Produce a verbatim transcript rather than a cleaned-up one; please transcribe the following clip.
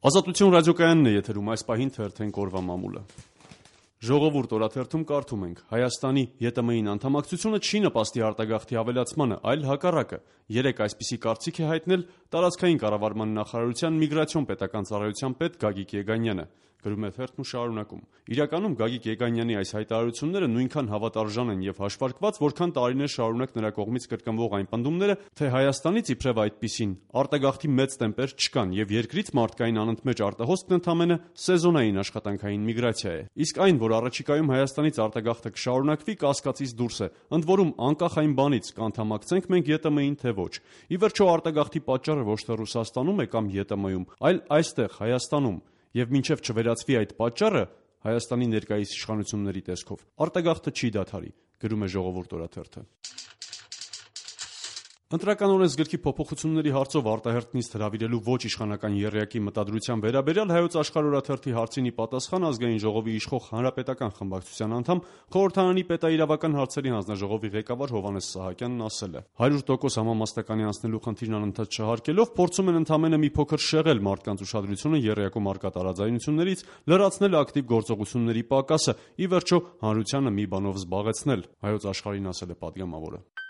Ազատություն ռադիոկայանն է եթերում, այս պահին թերթենք օրվա մամուլը։ Ժողովուրդ օրաթերթում կարդում ենք. Հայաստանի ԵՏՄ-ին անդամակցությունը չի նպաստի արտագաղթի ավելացմանը, այլ հակառակը։ Երեկ այսպիսի կարծիք է հայտնել տարածքային կառավարման նախարարության միգրացիոն պետական ծառայության պետ Գագիկ Եգանյանը։ Գրում է թերթն ու շարունակում. Իրականում Գագիկ Եգանյանի այս հայտարարությունները նույնքան հավատարժան են եւ հաշվարկված, որքան տարիներ շարունակ նրա կողմից կրկնվող այն պնդումները, թե Հայաստանից իբրև այդպիսին արտագաղթի մեծ տեմպեր չկան եւ երկրից մարդկային անընդմեջ արտահոսքն ընդամենը սեզոնային աշխատանքային միգրացիա է։ Իսկ այն, որ առաջիկայում Հայաստանից արտագաղթը կշարունակվի, կասկածից դուրս է, ընդ որում անկախ այն բանից կանդամակցենք մենք ԵՏՄ-ին թե ոչ։ Ի վերջո արտագաղթի պատճառը ոչ թե Ռուսաստանում է կամ ԵՏՄ-ում, այլ այստեղ Հայաստանում։ Եվ մինչև չվերացվի այդ պատճառը Հայաստանի ներկայիս իշխանությունների տեսքով արտագաղթը չի դադարի, գրում է Ժողովուրդ օրաթերթը։ Ընտրական օրենսգրքի փոփոխությունների հարցով արտահերթ նիստ հրավիրելու ոչ իշխանական եռյակի մտադրության վերաբերյալ Հայոց աշխարհ օրաթերթի հարցին ի պատասխան Ազգային ժողովի իշխող հանրապետական խմբակցության անդամ Խորհրդարանի պետաիրավական հարցերի հանձնաժողովի ղեկավար Հովհաննես Սահակյանն ասել է. հարյուր տոկոս համամասնականի անցնելու խնդիրն անընդհատ չհարկելով փորձում են ընդամենը մի փոքր շեղել մարդկանց ուշադրությունը եռյակում առկա տարաձայնություններից, լրացնել ակտիվ գործողությունների պակասը, ի վերջո հանրությանը մի բանով զբաղեցնել, Հայոց աշխարհին ասել է պատգամավորը։